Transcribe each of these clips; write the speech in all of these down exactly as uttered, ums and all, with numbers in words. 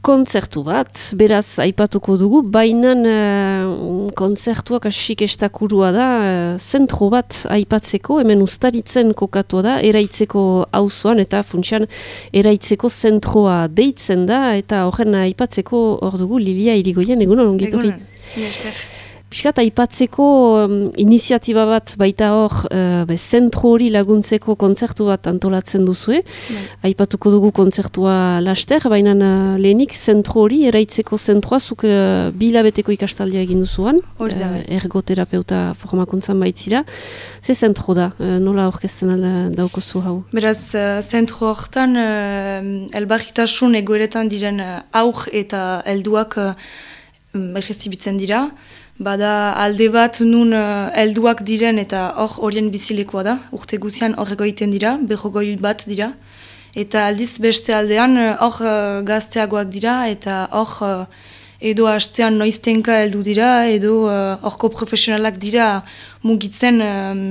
kontzertu bat, beraz aipatuko dugu, baina uh, kontzertuak asik estakurua da, uh, zentro bat aipatzeko, hemen Uztaritzen kokatua da, eraitzeko auzoan eta funtsian eraitzeko zentroa deitzen da, eta horren aipatzeko hor dugu Lilia Irigoyen, egunon ongitorri. Egunon, Piskat, aipatzeko um, iniziatiba bat baita hor, uh, be, zentro hori laguntzeko kontzertu bat antolatzen duzue. Bai. Aipatuko dugu kontzertua laster, baina uh, lehenik zentro hori, eraitzeko zentroa, zuk uh, bilabeteko ikastaldia egin duzuan. Hori da, bai. Uh, ergoterapeuta formakuntzan baitzira. Ze zentro da, uh, nola orkesten alda daukozu hau? Beraz, uh, zentro hortan, uh, elbarritasun egoeretan diren uh, aur eta helduak uh, berezibitzen dira. Bada alde bat nun uh, helduak diren eta hor horien bizilekoa da, urte guzian hor egoiten dira, berrogoi bat dira. Eta aldiz beste aldean hor uh, gazteagoak dira eta hor uh, edo hastean noiztenka heldu dira, edo horko uh, profesionalak dira mugitzen um,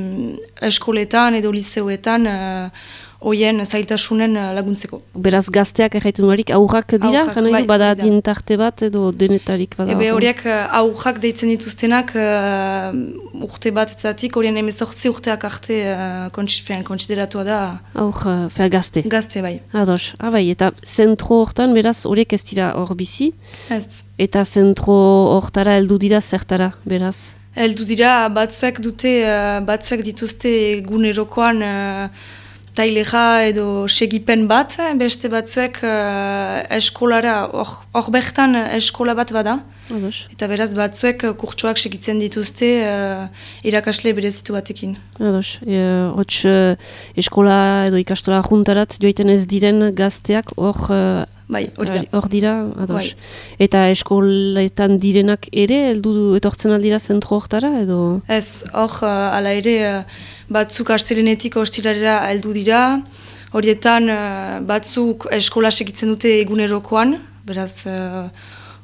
eskoletan edo liceoetan uh, oien zailtasunen laguntzeko. Beraz gazteak erraiten duarik aurrak dira? Aurrak, Gana, bai, bada da. dintarte bat edo denetarik bada? Ebe horiek aurrak deitzen dituztenak uh, urte bat etzatik, horien emezortzi urteak arte uh, kontsideratua da. Aur, uh, fea gazte? Gazte, bai. Ados, abai, eta zentro hortan beraz horiek ez dira hor bizi? Ez. Eta zentro hortara heldu dira zertara, beraz? Heldu dira batzuek dute, uh, batzuek dituzte egunerokoan uh, taileja edo segipen bat, beste batzuek uh, eskolara, hor bertan eskola bat bada. Ados. Eta beraz batzuek kurtsoak segitzen dituzte uh, irakasle berezitu batekin. Ados, e, hots uh, eskola edo ikastola juntarat joiten ez diren gazteak hor uh, bai, hori da. Hor dira, ados. Bai. Eta eskoletan direnak ere heldu etortzen aldira zentro hortara edo? Ez, hor uh, ala ere uh, batzuk astelenetik ostiralera heldu dira, horietan uh, batzuk eskola segitzen dute egunerokoan, beraz uh,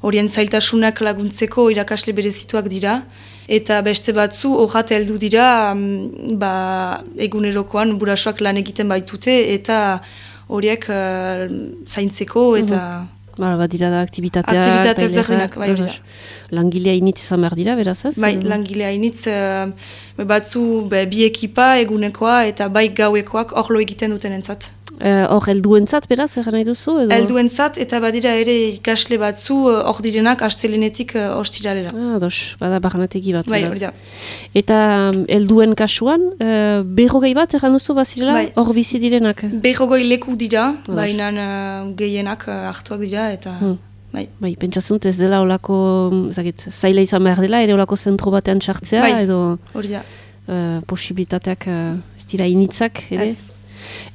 horien zailtasunak laguntzeko irakasle berezituak dira, eta beste batzu horrat heldu dira um, ba, egunerokoan burasoak lan egiten baitute, eta horiek uh, zaintzeko eta... Uhum. Bara, bat dira da aktibitateak. Aktibitate ezberdinak, bai hori da. Langilea initz izan behar dira, beraz ez? Bai, langilea initz, uh, batzu be, bi ekipa egunekoa eta bai gauekoak hor lo egiten duten entzat. Hor uh, helduentzat, beraz, egan nahi duzu? Edo? Helduentzat eta badira ere ikasle batzu hor uh, direnak astelenetik uh, ostiralera. Ah, dos, bada baranategi bat. Bai, beraz. hori da. Eta um, helduen kasuan, uh, berrogei bat egan duzu bazirela, hor bai. Bizi direnak? Berrogei leku dira, baina uh, gehienak uh, hartuak dira eta... Hmm. Bai, bai pentsatzen ez dela olako, zakit, zaila izan behar dela, ere olako zentro batean sartzea, bai, edo hori da. Uh, posibilitateak uh, ez dira initzak, ere? Ez.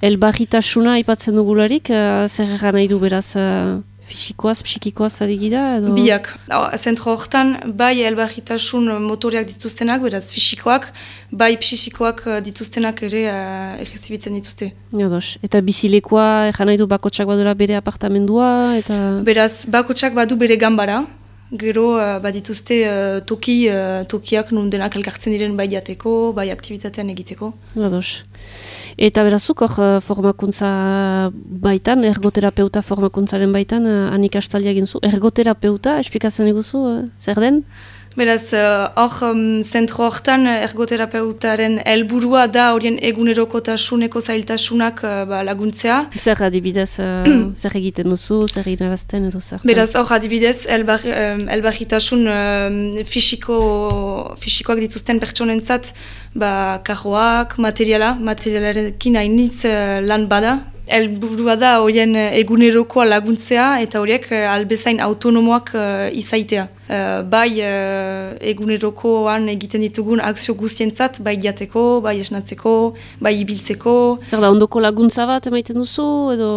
Elbarritasuna aipatzen dugularik, uh, zer egan nahi du beraz uh, fisikoaz, psikikoaz ari gira? Edo? Biak. Zentro hortan, bai elbarritasun motoreak dituztenak, beraz fisikoak, bai psikikoak dituztenak ere uh, egizibitzen dituzte. Jados. Eta bizilekoa, egan nahi du bakotsak badura bere apartamendua? Eta... Beraz, bakotsak badu bere gambara. Gero uh, badituzte uh, toki, uh, tokiak nun denak elkartzen diren bai jateko, bai aktivitatean egiteko. Jados. Eta berazuk hor formakuntza baitan, ergoterapeuta formakuntzaren baitan, hanik astalia egin zu. Ergoterapeuta, esplikatzen eguzu, zer den? Beraz, hor uh, um, zentro hortan ergoterapeutaren helburua da horien egunerokotasuneko zailtasunak uh, ba, laguntzea. Zer adibidez, uh, zer egiten duzu, zer eginarazten edo zer? Beraz, hor adibidez, elbar, um, elbarritasun um, fisiko, fisikoak dituzten pertsonentzat ba, karroak, materiala, materialarekin hainitz uh, lan bada. Helburua da horien egunerokoa laguntzea eta horiek albezain autonomoak uh, izaitea. Uh, bai uh, egunerokoan egiten ditugun akzio guztientzat, bai jateko, bai esnatzeko, bai ibiltzeko. Zer da, ondoko laguntza bat emaiten duzu edo?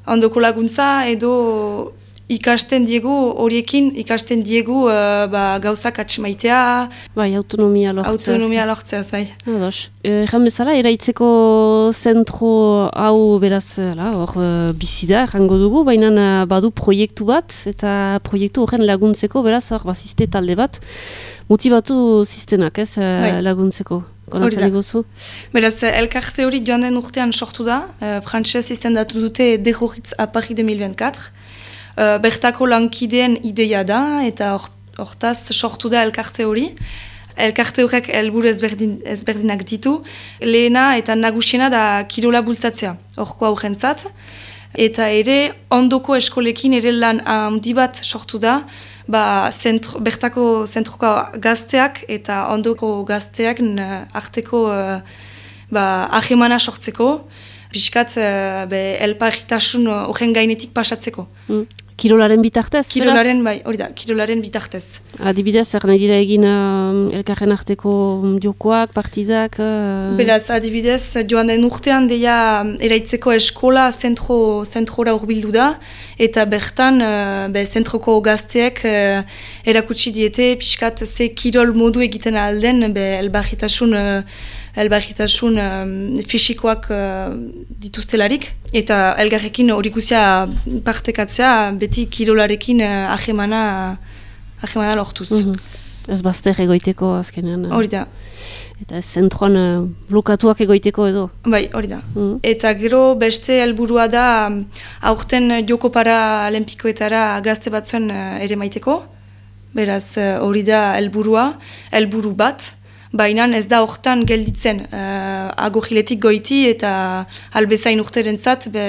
Ondoko laguntza edo ikasten diegu horiekin, ikasten diegu uh, ba, gauzak atxemaitea. Bai, autonomia lortzeaz. Autonomia lortzeaz, bai. Ados. Erran bezala, eraitzeko zentro hau beraz, hor bizi da, errango dugu, baina badu proiektu bat, eta proiektu horren laguntzeko, beraz, hor bazizte talde bat, motibatu ziztenak, ez, bai. Laguntzeko. Konatzen egozu? Beraz, elkarte hori joan den urtean sortu da, uh, frantxez izendatu dute Dejoritz a Paris deux mille vingt-quatre. uh, bertako lankideen ideia da, eta hortaz sortu da elkarte hori. Elkarte horrek helburu ezberdin, ezberdinak ditu. Lehena eta nagusiena da kirola bultzatzea, horko aurrentzat. Eta ere, ondoko eskolekin ere lan handi bat sortu da, ba, zentro, bertako zentroko gazteak eta ondoko gazteak arteko uh, ba, ahemana sortzeko, piskat uh, elparritasun horren gainetik pasatzeko. Mm. Kirolaren bitartez? Kirolaren, bai, hori da, kirolaren bitartez. Adibidez, zer nahi dira egin uh, elkarren arteko jokoak, partidak? Uh... Beraz, adibidez, joan den urtean deia eraitzeko eskola zentro, zentrora urbildu da, eta bertan, uh, be, zentroko gazteek uh, erakutsi diete, pixkat ze kirol modu egiten alden, be, elbarritasun, uh, elbarritasun um, fisikoak uh, dituztelarik, eta elgarrekin hori guzia partekatzea, beti kirolarekin uh, ahemana, ahemana lortuz. Mm-hmm. Ez bazter egoiteko azkenean. Hori da. Eta ez zentroan uh, blokatuak egoiteko edo. Bai, hori da. Mm-hmm. Eta gero beste helburua da aurten joko para olenpikoetara gazte batzuen uh, ere maiteko. Beraz hori uh, da helburua, helburu bat. Baina ez da hortan gelditzen, uh, agogiletik goiti eta albezain urterentzat be,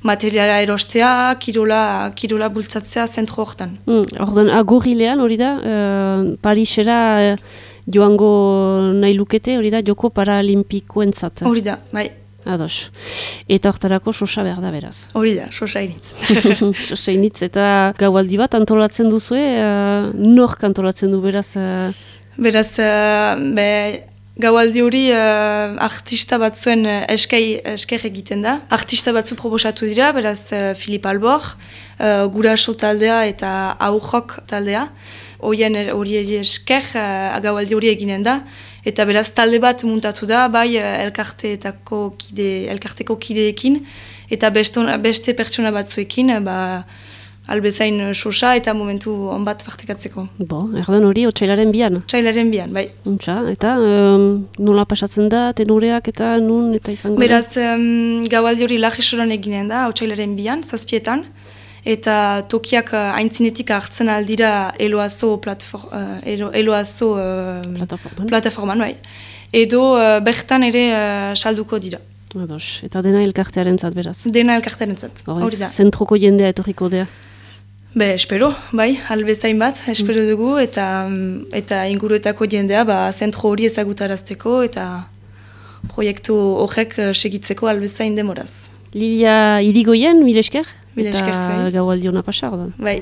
materiala erostea, kirola, kirola bultzatzea zentro hortan. Mm, Ordan agogilean hori da, uh, Parisera uh, joango nahi lukete, hori da, joko paralimpikoentzat. Hori da, bai. Ados. Eta hortarako sosa behar da beraz. Hori da, sosa initz. Sosa initz, eta gaualdi bat antolatzen duzue, uh, nork antolatzen du beraz... Uh, Beraz, uh, be, gaualdi hori uh, artista batzuen uh, eskei, esker egiten da. Artista batzu proposatu dira, beraz uh, Filip Albor, uh, Guraso taldea eta Aurrok taldea. Horien hori esker uh, gaualdi hori eginen da. Eta beraz talde bat muntatu da, bai uh, elkarteetako kide, elkarteko kideekin. Eta beste, beste pertsona batzuekin, uh, ba, albezain sosa eta momentu onbat partekatzeko. Bo, erdan hori, otsailaren bian? Otsailaren bian, bai. Untxa, eta um, nola pasatzen da, tenoreak eta nun eta izango da? Beraz, um, gaualdi hori lajesoran eginen da, otsailaren bian, zazpietan, eta tokiak uh, aintzinetik hartzen aldira eloazo, platfor, uh, elo, eloazo uh, plataforman. plataforman, bai. Edo uh, bertan ere uh, salduko dira. Ados, eta dena elkartearen zat, beraz? Dena elkartearen zat, hori da. Zentroko jendea etorriko dea? Be, espero, bai, albezain bat, espero dugu, eta eta inguruetako jendea, ba, zentro hori ezagutarazteko, eta proiektu horrek segitzeko albezain demoraz. Lilia Irigoyen, mil esker? Mil esker, eta gaualdi hona pasa, ordan. Bai.